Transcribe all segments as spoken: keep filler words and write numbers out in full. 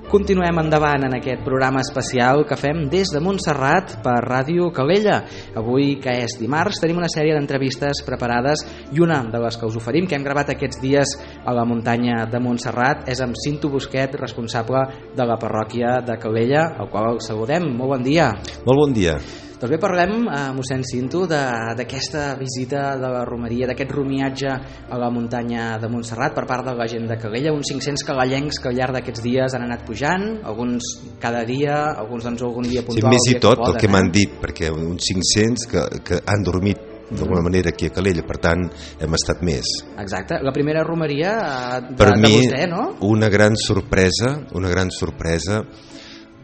Continuem endavant en aquest programa especial que fem des de Montserrat per Ràdio Calella. Avui, que és dimarts, tenim una sèrie d'entrevistes preparades i una de les que us oferim, que hem gravat aquests dies a la muntanya de Montserrat, és amb Cinto Busquet, responsable de la parròquia de Calella, al qual el saludem. Molt bon dia. Molt bon dia. Doncs bé, parlem, eh, mossèn Cinto, d'aquesta visita de la romeria, d'aquest romiatge a la muntanya de Montserrat per part de la gent de Calella, uns cinc-cents calallencs que al llarg d'aquests dies han anat pujant, alguns cada dia, alguns doncs algun dia puntual. Sí, més i tot, que poden, el que eh? m'han dit, perquè uns cinc-cents que, que han dormit d'alguna manera aquí a Calella, per tant hem estat més. Exacte, la primera romeria de, per de mi, vostè, no? una gran sorpresa, una gran sorpresa,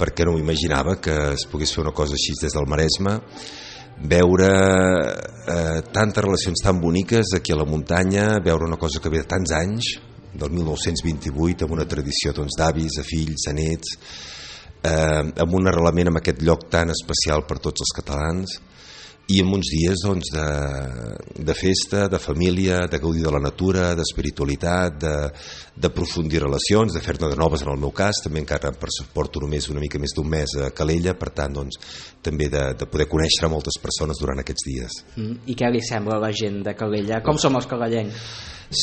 perquè no m'imaginava que es pogués fer una cosa així des del Maresme, veure eh, tantes relacions tan boniques aquí a la muntanya, veure una cosa que ve de tants anys, del mil nou-cents vint-i-vuit, amb una tradició doncs, d'avis, a fills, a nets, eh, amb un arrelament en aquest lloc tan especial per tots els catalans, i en uns dies doncs, de, de festa, de família, de gaudir de la natura, d'espiritualitat, de, de aprofundir relacions, de fer-ne de noves en el meu cas, també encara porto només una mica més d'un mes a Calella, per tant doncs, també de, de poder conèixer moltes persones durant aquests dies. Mm, I què li sembla a la gent de Calella? Com som els calallencs?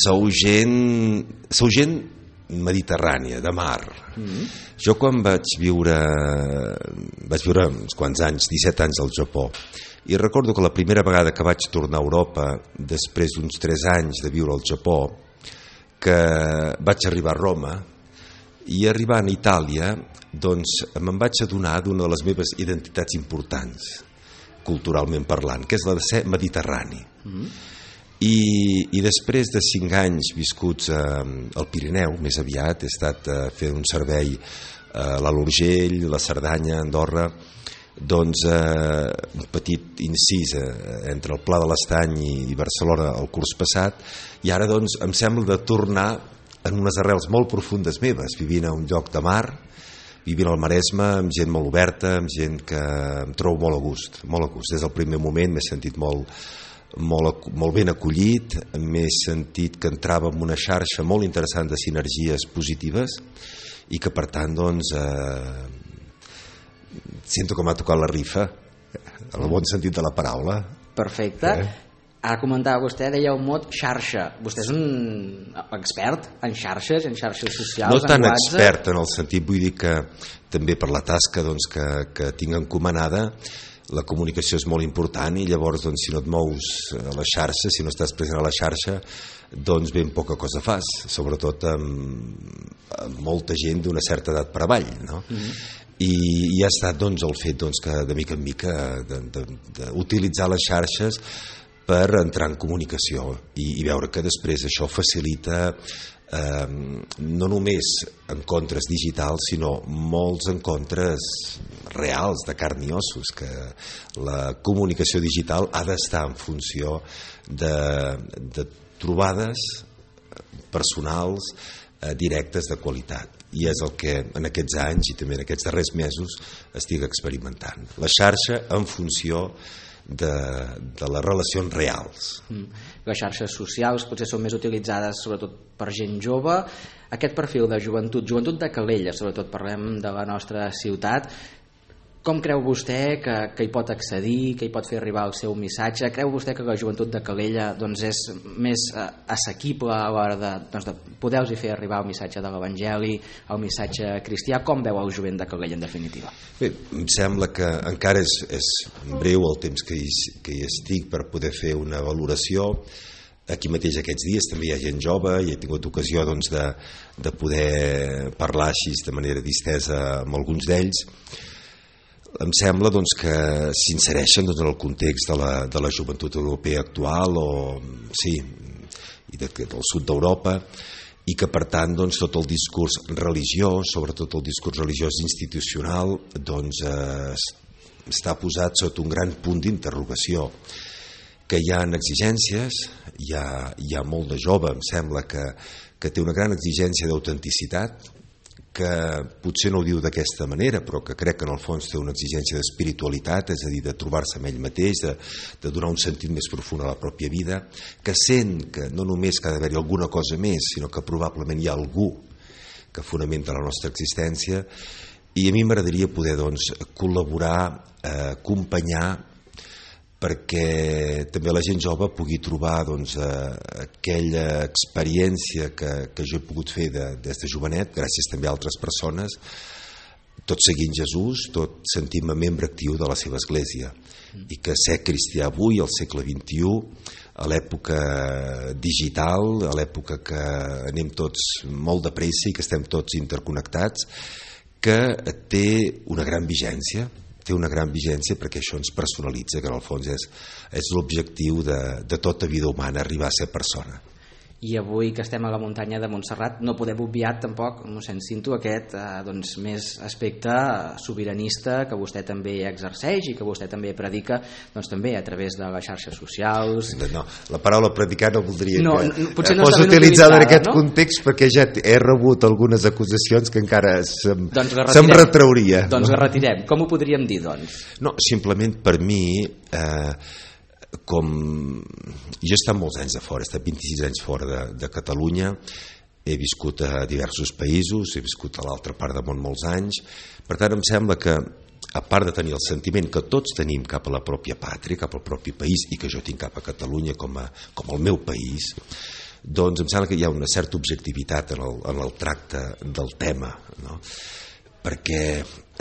Sou gent, sou gent mediterrània, de mar. Mm. Jo quan vaig viure, vaig viure uns quants anys, disset anys al Japó, i recordo que la primera vegada que vaig tornar a Europa, després d'uns tres anys de viure al Japó, que vaig arribar a Roma, i arribant a Itàlia, doncs me'n vaig adonar d'una de les meves identitats importants, culturalment parlant, que és la de ser mediterrani. Mm. I, i després de cinc anys viscuts eh, al Pirineu, més aviat, he estat eh, fent un servei a l'Alt Urgell, la Cerdanya, Andorra, doncs eh, un petit incís eh, entre el Pla de l'Estany i, i Barcelona el curs passat, i ara doncs em sembla de tornar en unes arrels molt profundes meves, vivint a un lloc de mar, vivint al Maresme, amb gent molt oberta, amb gent que em trobo molt a gust, molt a gust. Des del primer moment m'he sentit molt, molt, molt ben acollit, m'he sentit que entrava en una xarxa molt interessant de sinergies positives i que per tant doncs eh, sento que m'ha tocat la rifa, en el bon sentit de la paraula. Perfecte. Eh? Ara comentava vostè, deia un mot xarxa. Vostè és un expert en xarxes, en xarxes socials, no tan en WhatsApp? expert en el sentit, vull dir que també per la tasca doncs, que, que tinc encomanada, la comunicació és molt important i llavors doncs, si no et mous a la xarxa, si no estàs present a la xarxa, doncs ben poca cosa fas, sobretot amb, amb molta gent d'una certa edat per avall, no? Mm-hmm. I, i ha estat doncs, el fet doncs, que de mica en mica d'utilitzar les xarxes per entrar en comunicació i, i veure que després això facilita eh, no només encontres digitals, sinó molts encontres reals, de carn i ossos, que la comunicació digital ha d'estar en funció de, de trobades personals eh, directes de qualitat. I és el que en aquests anys i també en aquests darrers mesos estic experimentant. La xarxa en funció de, de les relacions reals. Mm. Les xarxes socials potser són més utilitzades sobretot per gent jove. Aquest perfil de joventut, joventut de Calella, sobretot parlem de la nostra ciutat, com creu vostè que, que hi pot accedir, que hi pot fer arribar el seu missatge? Creu vostè que la joventut de Calella doncs, és més eh, assequible a l'hora de, doncs, de poder-los fer arribar el missatge de l'Evangeli, el missatge cristià? Com veu el jovent de Calella, en definitiva? Bé, em sembla que encara és, és breu el temps que hi, que hi estic per poder fer una valoració. Aquí mateix aquests dies també hi ha gent jove i he tingut ocasió doncs, de, de poder parlar així de manera distesa amb alguns d'ells. Em sembla doncs, que s'insereixen doncs, en el context de la, de la joventut europea actual o, sí, i de, del sud d'Europa, i que per tant doncs, tot el discurs religiós, sobretot el discurs religiós institucional, doncs, eh, està posat sota un gran punt d'interrogació, que hi ha exigències, hi ha, hi ha molt de jove, em sembla que, que té una gran exigència d'autenticitat, que potser no ho diu d'aquesta manera, però que crec que en el fons té una exigència d'espiritualitat, és a dir, de trobar-se amb ell mateix, de, de donar un sentit més profund a la pròpia vida, que sent que no només que ha d'haver-hi alguna cosa més, sinó que probablement hi ha algú que fonamenta la nostra existència, i a mi m'agradaria poder doncs, col·laborar, eh, acompanyar, perquè també la gent jove pugui trobar doncs, eh, aquella experiència que, que jo he pogut fer de, des de jovenet, gràcies també a altres persones, tot seguint Jesús, tot sentint-me membre actiu de la seva església, i que ser cristià avui, al segle vint-i-u, a l'època digital, a l'època que anem tots molt de pressa i que estem tots interconnectats, que té una gran vigència, té una gran vigència perquè això ens personalitza, que en el fons és, és l'objectiu de, de tota vida humana, arribar a ser persona. I avui que estem a la muntanya de Montserrat no podem obviar tampoc, mossèn Cinto, aquest eh, doncs, més aspecte sobiranista que vostè també exerceix i que vostè també predica, doncs, també a través de les xarxes socials. No, la paraula predicar no voldria no, que potser no fos utilitzada en aquest no? context, perquè ja he rebut algunes acusacions que encara se'm, doncs se'm retrauria. Doncs la retirem. Com ho podríem dir, doncs? No, simplement per mi... Eh, com jo he estat molts anys de fora, he estat vint-i-sis anys fora de, de Catalunya, he viscut a diversos països, he viscut a l'altra part del món molts anys, per tant em sembla que a part de tenir el sentiment que tots tenim cap a la pròpia pàtria, cap al propi país, i que jo tinc cap a Catalunya com, a, com el meu país, doncs em sembla que hi ha una certa objectivitat en el, en el tracte del tema, no? Perquè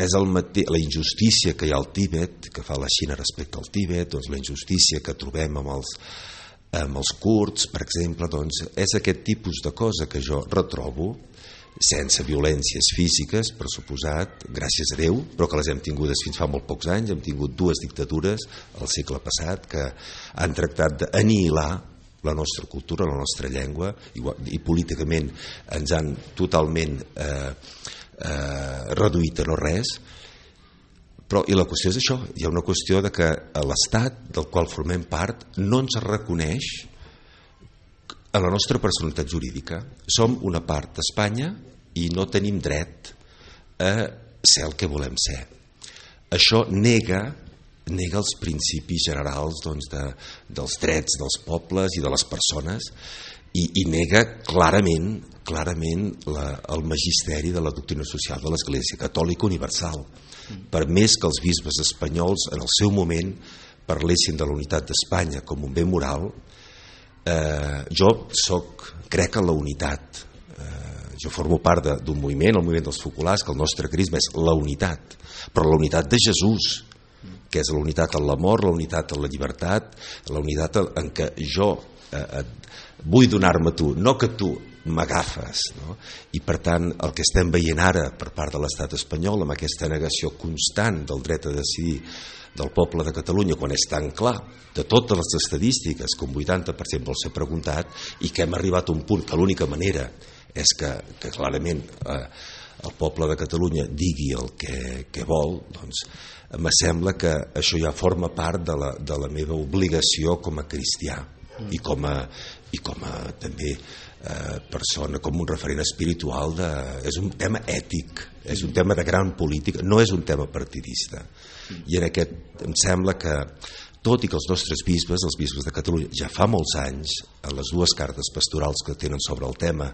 és el mate... la injustícia que hi ha al Tíbet, que fa la Xina respecte al Tíbet, doncs la injustícia que trobem amb els, amb els kurds, per exemple, doncs és aquest tipus de cosa que jo retrobo, sense violències físiques, per suposat, gràcies a Déu, però que les hem tingudes fins fa molt pocs anys. Hem tingut dues dictadures al segle passat que han tractat d'anihilar la nostra cultura, la nostra llengua, i, i políticament ens han totalment eh, eh, reduït a no res. Però i la qüestió és això, hi ha una qüestió de que l'Estat del qual formem part no ens reconeix a la nostra personalitat jurídica. Som una part d'Espanya i no tenim dret a ser el que volem ser. Això nega nega els principis generals doncs, de, dels drets dels pobles i de les persones, i, i nega clarament, clarament la, el magisteri de la doctrina social de l'Església Catòlica Universal. Per més que els bisbes espanyols en el seu moment parlessin de la unitat d'Espanya com un bé moral, eh, jo soc, crec en la unitat. Eh, jo formo part d'un moviment, el moviment dels focolars, que el nostre carisma és la unitat, però la unitat de Jesús, que és la unitat en l'amor, la unitat en la llibertat, la unitat en què jo eh, vull donar-me a tu, no que tu m'agafes, no? I per tant el que estem veient ara per part de l'estat espanyol, amb aquesta negació constant del dret a decidir del poble de Catalunya, quan és tan clar de totes les estadístiques que un vuitanta per cent vol ser preguntat, i que hem arribat a un punt que l'única manera és que, que clarament eh, el poble de Catalunya digui el que, que vol, doncs em sembla que això ja forma part de la, de la meva obligació com a cristià i com a, i com a també eh, persona, com un referent espiritual de, és un tema ètic, és un tema de gran política, no és un tema partidista. I en aquest em sembla que tot i que els nostres bisbes, els bisbes de Catalunya, ja fa molts anys, en les dues cartes pastorals que tenen sobre el tema,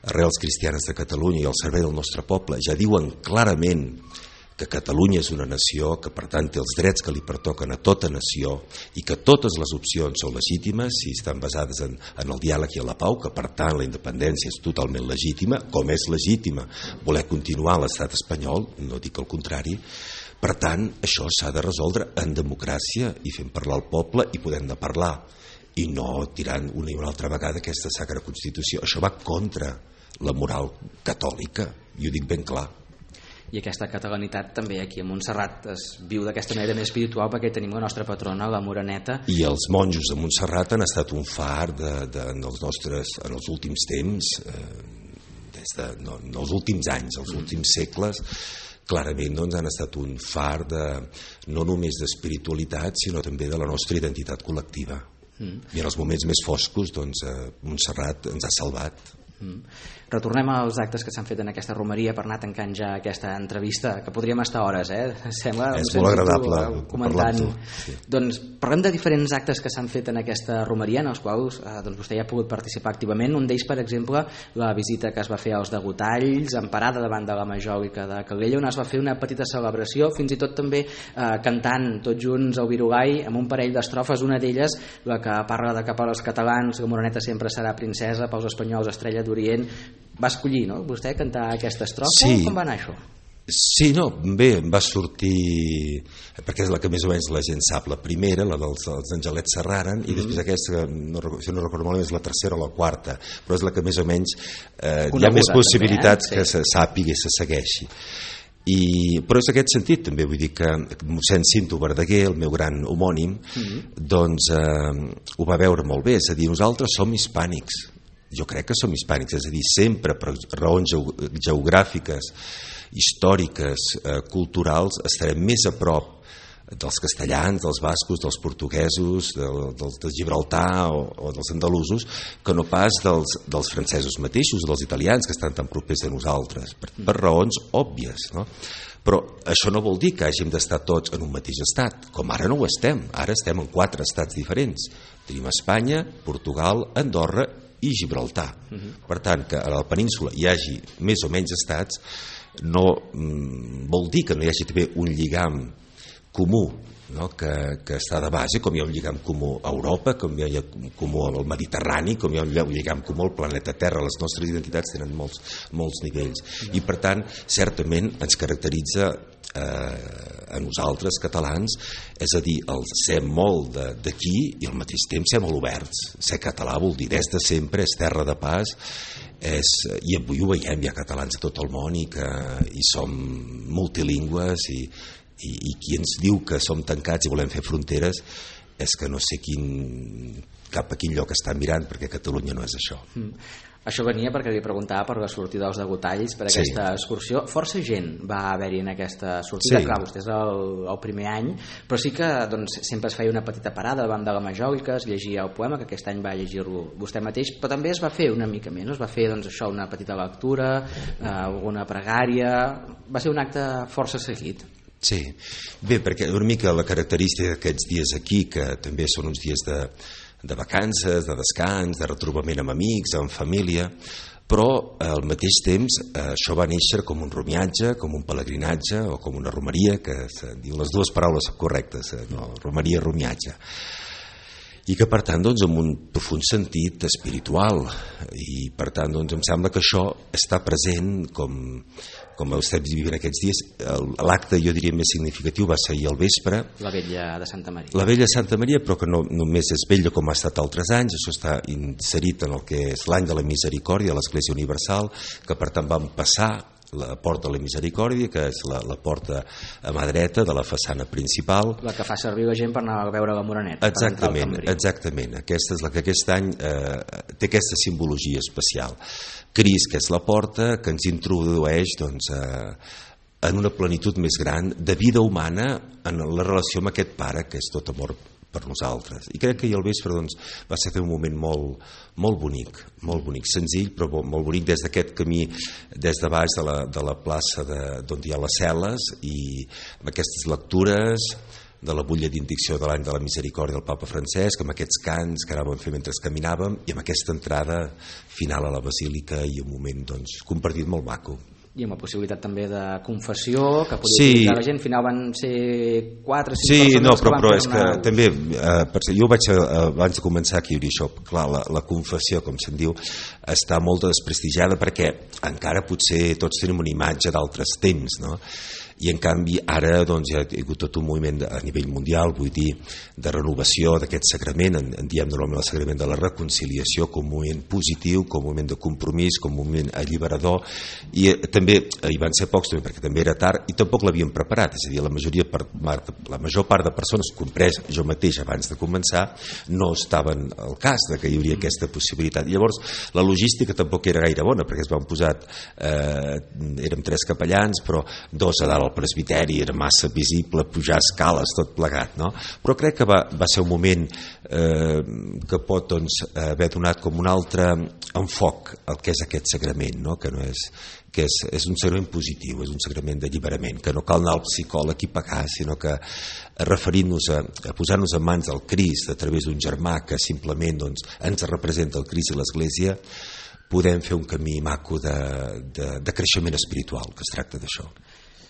Arrels Cristianes de Catalunya i el servei del nostre poble, ja diuen clarament que Catalunya és una nació, que per tant té els drets que li pertoquen a tota nació i que totes les opcions són legítimes si estan basades en, en el diàleg i en la pau, que per tant la independència és totalment legítima, com és legítima voler continuar a l'estat espanyol, no dic el contrari. Per tant, això s'ha de resoldre en democràcia i fent parlar al poble i podem-ne parlar, i no tirant una i una altra vegada aquesta sacra Constitució. Això va contra la moral catòlica, i ho dic ben clar. I aquesta catalanitat també aquí a Montserrat es viu d'aquesta manera més espiritual, perquè tenim la nostra patrona, la Moreneta. I els monjos de Montserrat han estat un far de, de, en, els nostres, en els últims temps, eh, des de, no, en els últims anys, els últims segles, clarament doncs, han estat un far de, no només d'espiritualitat, sinó també de la nostra identitat col·lectiva. Mm. I en els moments més foscos, doncs, eh, Montserrat ens ha salvat. Mm. Retornem als actes que s'han fet en aquesta romeria per anar tancant ja aquesta entrevista, que podríem estar hores, eh? Sembla, és molt agradable comentant. Sí. Doncs parlem de diferents actes que s'han fet en aquesta romeria, en els quals eh, doncs vostè ja ha pogut participar activament. Un d'ells, per exemple, la visita que es va fer als Degotalls, en parada davant de la Majòlica de Calella, on es va fer una petita celebració, fins i tot també eh, cantant tots junts el Virugai amb un parell d'estrofes, una d'elles la que parla de cap als catalans, la Moreneta sempre serà princesa, pels espanyols estrella d'Orient. Va escollir, no?, vostè cantar aquesta estrofa? Sí. Com va anar això? Sí, no, bé, va sortir, perquè és la que més o menys la gent sap, la primera, la dels, dels Angelets Serraren, mm-hmm. i després aquesta, no, si no recordo malament, és la tercera o la quarta, però és la que més o menys eh, hi ha més possibilitats també, eh? Sí. Que se sàpiga i se segueixi. I, però és aquest sentit també, vull dir que mossèn Cinto Verdaguer, el meu gran homònim, mm-hmm. doncs eh, ho va veure molt bé, és a dir, nosaltres som hispànics, jo crec que som hispànics, és a dir, sempre per raons geogràfiques, històriques, eh, culturals, estarem més a prop dels castellans, dels bascos, dels portuguesos, del, dels de Gibraltar o, o dels andalusos, que no pas dels, dels francesos mateixos, dels italians, que estan tan propers a nosaltres, per, per raons òbvies, no? Però això no vol dir que hàgim d'estar tots en un mateix estat, com ara no ho estem, ara estem en quatre estats diferents. Tenim Espanya, Portugal, Andorra i Gibraltar. Uh-huh. Per tant, que a la península hi hagi més o menys estats no mm, vol dir que no hi hagi també un lligam comú, no? que, que està de base, com hi ha un lligam comú a Europa, com hi ha un comú al Mediterrani, com hi ha un lligam comú al planeta Terra. Les nostres identitats tenen molts, molts nivells. Uh-huh. I per tant, certament ens caracteritza eh, a nosaltres catalans, és a dir, el ser molt d'aquí i al mateix temps ser molt oberts. Ser català vol dir des de sempre, és terra de pas, és, i avui ho veiem, hi ha catalans a tot el món i que i som multilingües i, i, i qui ens diu que som tancats i volem fer fronteres és que no sé quin, cap a quin lloc està mirant, perquè Catalunya no és això. Mm. Això venia perquè li preguntava per la sortida dels Degotalls, per sí. aquesta excursió. Força gent va haver-hi en aquesta sortida, sí. Clar, vostè és el, el primer any, però sí que doncs, sempre es feia una petita parada davant de la Majòlica, es llegia el poema, que aquest any va llegir-lo vostè mateix, però també es va fer una mica més, no? Es va fer doncs, això, una petita lectura, eh, alguna pregària, va ser un acte força seguit. Sí, bé, perquè una mica la característica d'aquests dies aquí, que també són uns dies de de vacances, de descans, de retrobament amb amics, amb família, però al mateix temps eh, això va néixer com un romiatge, com un pelegrinatge o com una romeria, que se diuen les dues paraules correctes, eh, no? Romeria, romiatge, i que per tant doncs, amb un profund sentit espiritual, i per tant doncs, em sembla que això està present com, com estem vivint aquests dies. L'acte, jo diria, més significatiu va ser ahir al vespre, la Vella de Santa Maria. La Vella de Santa Maria, però que no només és vella com ha estat altres anys, això està inserit en el que és l'any de la Misericòrdia de l'Església Universal, que per tant vam passar la porta de la Misericòrdia, que és la, la porta a mà dreta de la façana principal, la que fa servir la gent per anar a veure la Moreneta. Exactament, exactament. Aquesta és la que aquest any eh, té aquesta simbologia especial. Crist, que és la porta, que ens introdueix doncs, eh, en una plenitud més gran de vida humana en la relació amb aquest pare que és tot amor per nosaltres. I crec que ahir al vespre doncs, va ser un moment molt, molt bonic, molt bonic, senzill però molt bonic, des d'aquest camí des de baix de la, de la plaça de, d'on hi ha les cel·les, i amb aquestes lectures de la butlla d'indicció de l'any de la Misericòrdia del Papa Francesc, amb aquests cants que anàvem fent mentre caminàvem, i amb aquesta entrada final a la Basílica, i un moment doncs, compartit molt maco. I amb la possibilitat també de confessió que podia sí. utilitzar la gent. Al final van ser quatre o cinc sí, persones no, però, que van però fer és una... que també eh, per ser, jo vaig a, abans de començar aquí dir això, clar, la, la confessió, com se'n diu, està molt desprestigiada perquè encara potser tots tenim una imatge d'altres temps, no? I en canvi ara doncs, hi ha hagut tot un moviment a nivell mundial, vull dir, de renovació d'aquest sagrament, en, en diem normalment el sagrament de la reconciliació, com un moviment positiu, com un moment de compromís, com un moment alliberador, i eh, també hi van ser pocs també, perquè també era tard i tampoc l'havien preparat, és a dir, la, majoria per, la major part de persones, comprès jo mateix abans de començar, no estaven al cas de que hi hauria aquesta possibilitat. Llavors la logística tampoc era gaire bona, perquè es van posar eh, érem tres capellans, però dos a dalt al presbiteri, era massa visible pujar escales, tot plegat, no? Però crec que va, va ser un moment eh, que pot doncs, haver donat com una altra enfoc el que és aquest sagrament, no? Que, no és, que és, és un sagrament positiu, és un sagrament d'alliberament, que no cal anar al psicòleg i pagar, sinó que referint-nos a, a posar-nos en mans del Crist a través d'un germà que simplement doncs, ens representa el Crist i l'Església, podem fer un camí maco de, de, de creixement espiritual, que es tracta d'això.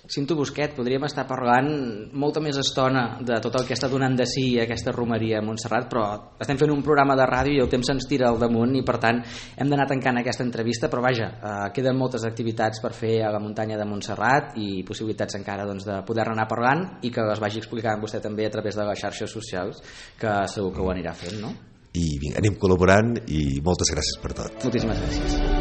Cinto Busquet, podríem estar parlant molta més estona de tot el que està donant de si aquesta romeria a Montserrat, però estem fent un programa de ràdio i el temps se'ns tira al damunt i per tant hem d'anar tancant aquesta entrevista, però vaja, eh, queden moltes activitats per fer a la muntanya de Montserrat i possibilitats encara doncs, de poder anar parlant i que les vagi explicant vostè també a través de les xarxes socials, que segur que ho anirà fent, no? I vinga, anem col·laborant i moltes gràcies per tot. Moltíssimes gràcies.